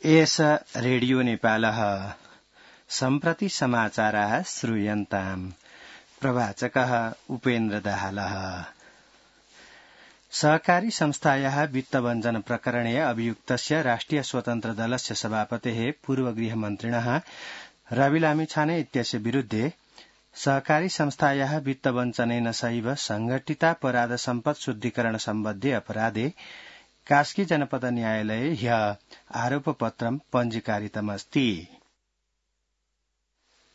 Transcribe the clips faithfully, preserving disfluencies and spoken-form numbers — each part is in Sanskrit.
एष रेडियो नेपालः सम्प्रति समाचाराः श्रूयन्ताम्। प्रवाचकः उपेन्द्र दाहालः। सहकारी संस्थायाः वित्तवञ्चन प्रकरणे अभियुक्तस्य राष्ट्रिय स्वतन्त्र दलस्य सभापतेः पूर्व गृहमन्त्रिणः रवि लामिछाने इत्यस्य विरुद्धे सहकारी संस्थायाः वित्तवञ्चनेन सैव संघटितापराध सम्पत् शुद्धिकरण सम्बद्धे अपराधे कास्की जनपद न्यायालये ह्यः आरोपपत्रं पञ्जीकारितमस्ति।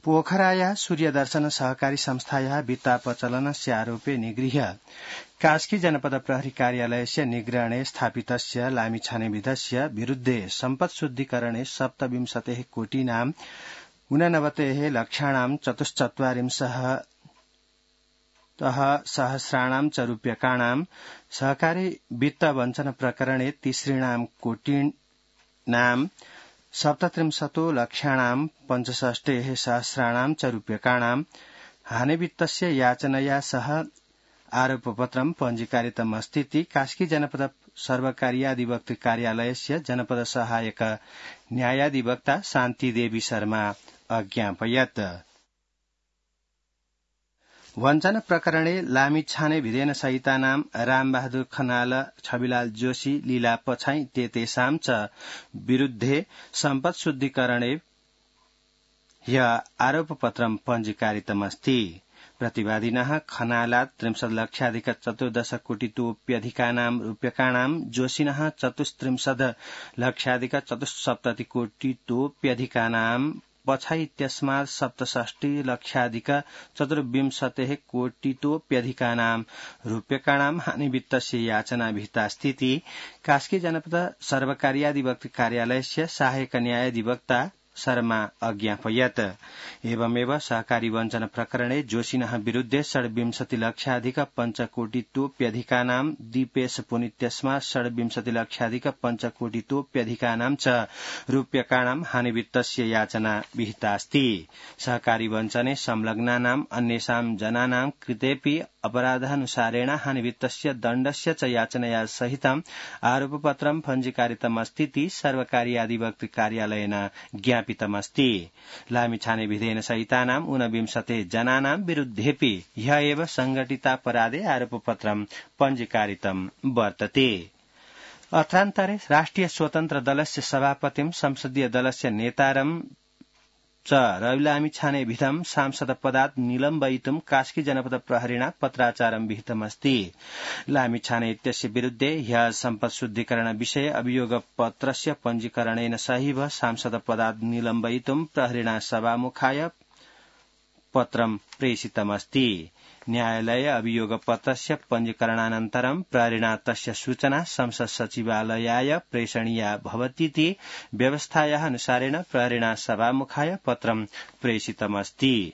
पोखरायाः सूर्यदर्शन सहकारी संस्थायाः वित्तापचलनस्य आरोपे निगृह्य कास्की जनपद प्रहरी कार्यालयस्य निग्रहणे स्थापितस्य लामिछानेविधस्य विरुद्धे सम्पत् शुद्धिकरणे सप्तविंशतेः कोटीनाम् ऊननवतेः लक्षाणाम् चतुश्चत्वारिंशः सहस्राणां च रूप्यकाणां सहकारी वित्त वञ्चन प्रकरणे तिसृणां कोटीनां सप्तत्रिंशतो लक्षाणां पञ्चषष्टेः सहस्राणां च रूप्यकाणां हानिवित्तस्य याचनया सह आरोपपत्रं पञ्जीकारितमस्तीति कास्की जनपद सर्वकारीयाधिवक्तृ कार्यालयस्य जनपद सहायक न्यायाधिवक्ता शान्तिदेवी शर्मा अज्ञापयत्। वञ्चन प्रकरणे लामिछाने भिदेन सहितानां रामबहादुर खनाल, छविलाल जोशी, लीला पछाई इत्येतेषां च विरुद्धे सम्पत् शुद्धिकरणे ह्यः आरोपपत्रं पञ्जीकारितमस्ति। प्रतिवादिनः खनालात् त्रिंशत् लक्षाधिक चतुर्दश कोटितोप्यधिकानां रूप्यकाणां, जोशिनः चतुस्त्रिंशत् लक्षाधिक चतुस्सप्तति कोटितोप्यधिकानां, पछाई इत्यस्मात् सप्तषष्टि लक्षाधिक चतुर्विंशतेः कोटितोप्यधिकानां रूप्यकाणां हानिवित्तस्य याचना विहितास्तीति कास्की जनपद सर्वकारीयाधिवक्तृ कार्यालयस्य सहायक न्यायाधिवक्ता शर्मा अज्ञापयत्। एवमेव सहकारी वञ्चन प्रकरणे जोशिनः विरुद्धे षड्विंशति लक्षाधिक पञ्चकोटितोप्यधिकानां, दीपेश पुनित्यस्मात् षड्विंशति लक्षाधिक पञ्चकोटितोप्यधिकानां च रूप्यकाणां हानिवित्तस्य याचना विहितास्ति। सहकारी वञ्चने संलग्नानाम् अन्येषां जनानां कृतेऽपि अपराधानुसारेण हानिवित्तस्य दण्डस्य च याचनया सहितम् आरोपपत्रं पञ्जीकारितमस्तीति सर्वकारीयाधिवक्तृ कार्यालयेन ज्ञापितमस्ति। लामिछाने विधेन सहितानाम् ऊनविंशते जनानां विरुद्धेऽपि ह्यः एव संघटितापराधे आरोपपत्रं पञ्जीकारितं वर्तते। अत्रान्तरे राष्ट्रिय स्वतन्त्र दलस्य सभापतिं संसदीय दलस्य नेतारं च रवि लामिछाने विधं सांसद पदात् निलम्बयितुं कास्की जनपद प्रहरिणा पत्राचारं विहितमस्ति। लामिछाने इत्यस्य विरुद्धे ह्यः सम्पत् शुद्धिकरण विषये अभियोगपत्रस्य पञ्जीकरणेन सहैव सांसद पदात् निलम्बयितुं प्रहरिणा सभामुखाय पत्रं प्रेषितमस्ति। न्यायालये अभियोगपत्रस्य पञ्जीकरणानन्तरं प्रहरिणा तस्य सूचना संसद सचिवालयाय प्रेषणीया भवतीति व्यवस्थायाः अनुसारेण प्रहरिणा सभामुखाय पत्रं प्रेषितमस्ति।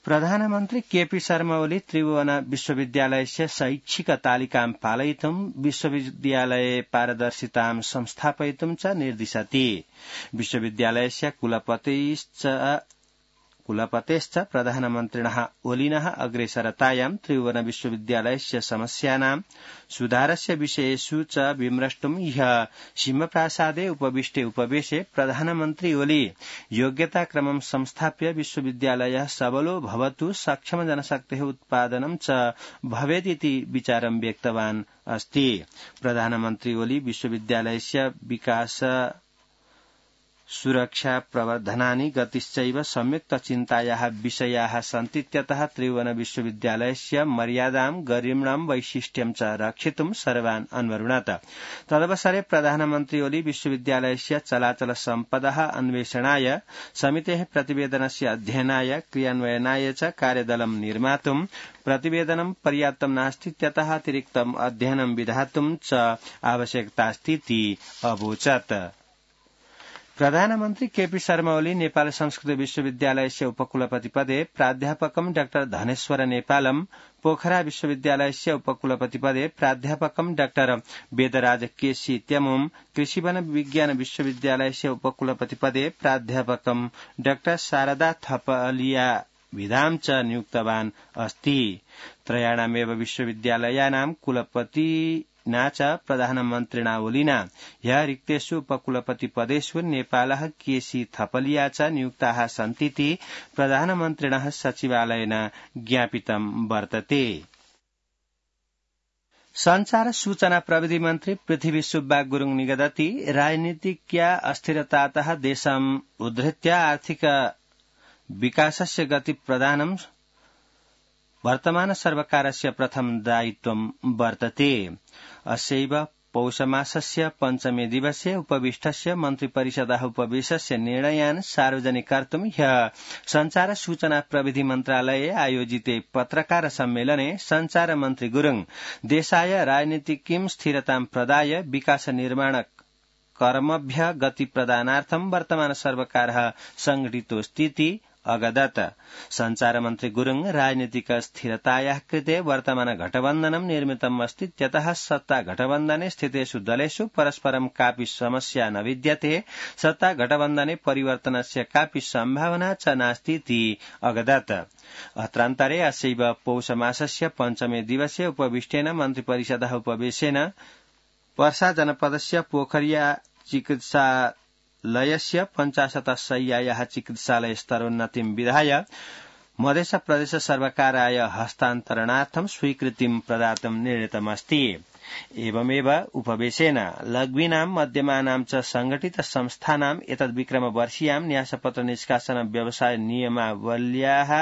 प्रधानमन्त्री केपी शर्मा ओली त्रिभुवन विश्वविद्यालयस्य शैक्षिक तालिकां पालयितुं विश्वविद्यालये पारदर्शितां संस्थापयितुं च निर्दिशति। विश्वविद्यालयस्य कुलपतिश्च कुलपतेश्च प्रधानमन्त्रिणः ओलिनः अग्रेसरतायां त्रिभुवन विश्वविद्यालयस्य समस्यानां सुधारस्य विषयेषु च विमृष्टुं ह्यः सिंहप्रासादे उपविष्टे उपवेशे प्रधानमन्त्री ओली योग्यताक्रमं संस्थाप्य विश्वविद्यालयः सबलो भवतु, सक्षम जनशक्तेः उत्पादनं च भवेदिति विचारं व्यक्तवान् अस्ति। प्रधानमन्त्री ओली विश्वविद्यालयस्य विकास सुरक्षा प्रवर्धनानि गतिश्चैव संयुक्त चिन्तायाः विषयाः सन्तीत्यतः त्रिभुवन विश्वविद्यालयस्य मर्यादां, गरिम्णं, वैशिष्ट्यं च रक्षितुं सर्वान् अन्वरुणत। तदवसरे प्रधानमन्त्री ओली विश्वविद्यालयस्य चलाचल सम्पदः अन्वेषणाय, समितेः प्रतिवेदनस्य अध्ययनाय, क्रियान्वयनाय च कार्यदलं निर्मातुं प्रतिवेदनं पर्याप्तं नास्तीत्यतः अतिरिक्तम् अध्ययनं विधातुं च आवश्यकतास्तीति अवोचत्। प्रधानमन्त्री केपी शर्मा ओली नेपाल संस्कृत विश्वविद्यालयस्य उपकुलपति पदे, प्राध्यापकं डाक्टर धनेश्वर नेपालम पोखरा विश्वविद्यालयस्य उपकुलपति पदे प्राध्यापकं डाक्टर वेदराज केसी त्यमुम, कृषि वन विज्ञान विश्वविद्यालयस्य उपकुलपति पदे प्राध्यापकं डाक्टर शारदा थपलिया विधां च नियुक्तवान् अस्ति। त्रयाणामेव विश्वविद्यालयानां कुलपति च प्रधानमन्त्रिणावलिना ह्य रिक्तेषु उपकुलपतिपदेषु नेपालः केसी थपलिया च नियुक्ताः सन्तीति प्रधानमन्त्रिणः सचिवालयेन ज्ञापितं वर्तते। संचार सूचना प्रविधि मन्त्री पृथ्वी सुब्बा गुरुङ निगदति राजनीतिज्ञा अस्थिरतातः देशम् उद्धृत्य आर्थिक विकासस्य गति प्रदानं वर्तमान सर्वकारस्य प्रथम दायित्वं वर्तते। अस्यैव पौषमासस्य पञ्चमे दिवसे उपविष्टस्य मन्त्रिपरिषदः उपवेशस्य निर्णयान् सार्वजनिक कर्तुं ह्यः संचार सूचना प्रविधि मन्त्रालये आयोजिते पत्रकार सम्मेलने संचार मन्त्री गुरुङ देशाय राजनीतिकीं स्थिरतां प्रदाय विकास निर्माण कर्मभ्य गति प्रदानार्थं वर्तमान सर्वकारः संघटितोऽस्तीति अगदत। संचार मन्त्री गुरुङ राजनीतिक स्थिरतायाः कृते वर्तमान गठबन्धनं निर्मितम् अस्ति, त्यतः सत्ता गठबन्धने स्थितेषु दलेषु परस्परं कापि समस्या न विद्यते, सत्ता गठबन्धने परिवर्तनस्य कापि सम्भावना च नास्तीति अगदत। अत्रान्तरे अस्यैव पौषमासस्य पञ्चमे दिवसे उपविष्टेन मन्त्रिपरिषदः उपवेशेन पर्सा जनपदस्य पोखरिया चिकित्सा लयस्य पञ्चाशत शय्यायाः चिकित्सालय स्तरोन्नतिं विधाय मध्य प्रदेश सर्वकाराय हस्तान्तरणार्थं स्वीकृतिं प्रदातुं निर्णीतमस्ति। एवमेव उपवेशेन लघ्वीनां मध्यमानां च संघटित संस्थानाम् एतद्विक्रमवर्षीयां न्यासपत्र निष्कासन व्यवसाय नियमावल्याः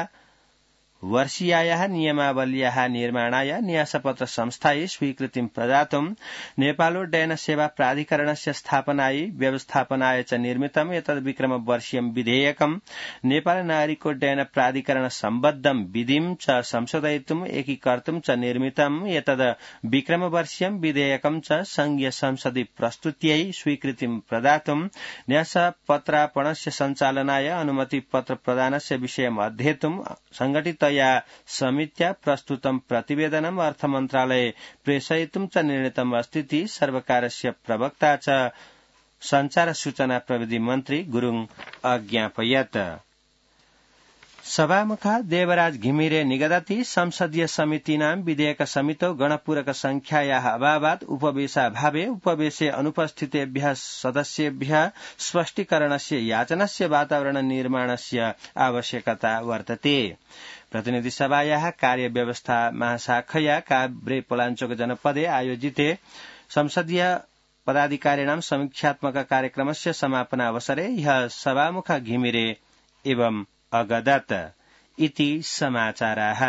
वर्षीयायाः नियमावल्याः निर्माणाय न्यासपत्र संस्थायै स्वीकृतिं प्रदातुं नेपालोड्डयन सेवा प्राधिकरणस्य स्थापनायै व्यवस्थापनाय च निर्मितम् एतद्विक्रमवर्षीयं विधेयकं नेपाल नागरिकोड्डयन प्राधिकरण सम्बद्धं विधिं च संशोधयितुम् एकीकर्तुं च निर्मितम् एतद् विक्रमवर्षीयं विधेयकं च संघीय संसदि प्रस्तुत्यै स्वीकृतिं प्रदातुं न्यासपत्रार्पणस्य सञ्चालनाय अनुमति पत्र प्रदानस्य विषयम् अध्येतुं संघटित या समित्या प्रस्तुतं प्रतिवेदनम् अर्थमन्त्रालये प्रेषयितुं च निर्णीतम् अस्तीति सर्वकारस्य प्रवक्ता च संचार सूचना प्रविधि मन्त्री गुरुङ अज्ञापयत्। सभामुखा देवराज घिमिरे निगदति संसदीय समितीनां विधेयक समितौ गणपूरक संख्यायाः अभावात् उपवेशाभावे उपवेशे अनुपस्थितेभ्यः सदस्येभ्यः स्पष्टीकरणस्य याचनस्य वातावरण निर्माणस्य आवश्यकता वर्तते। प्रतिनिधि सभायाः कार्यव्यवस्था महाशाखया काभ्रे पलाञ्चोक जनपदे आयोजिते संसदीय पदाधिकारिणां समीक्षात्मक कार्यक्रमस्य समापनावसरे ह्यः सभामुख घिमिरे एवं अगदत इति समाचाराः।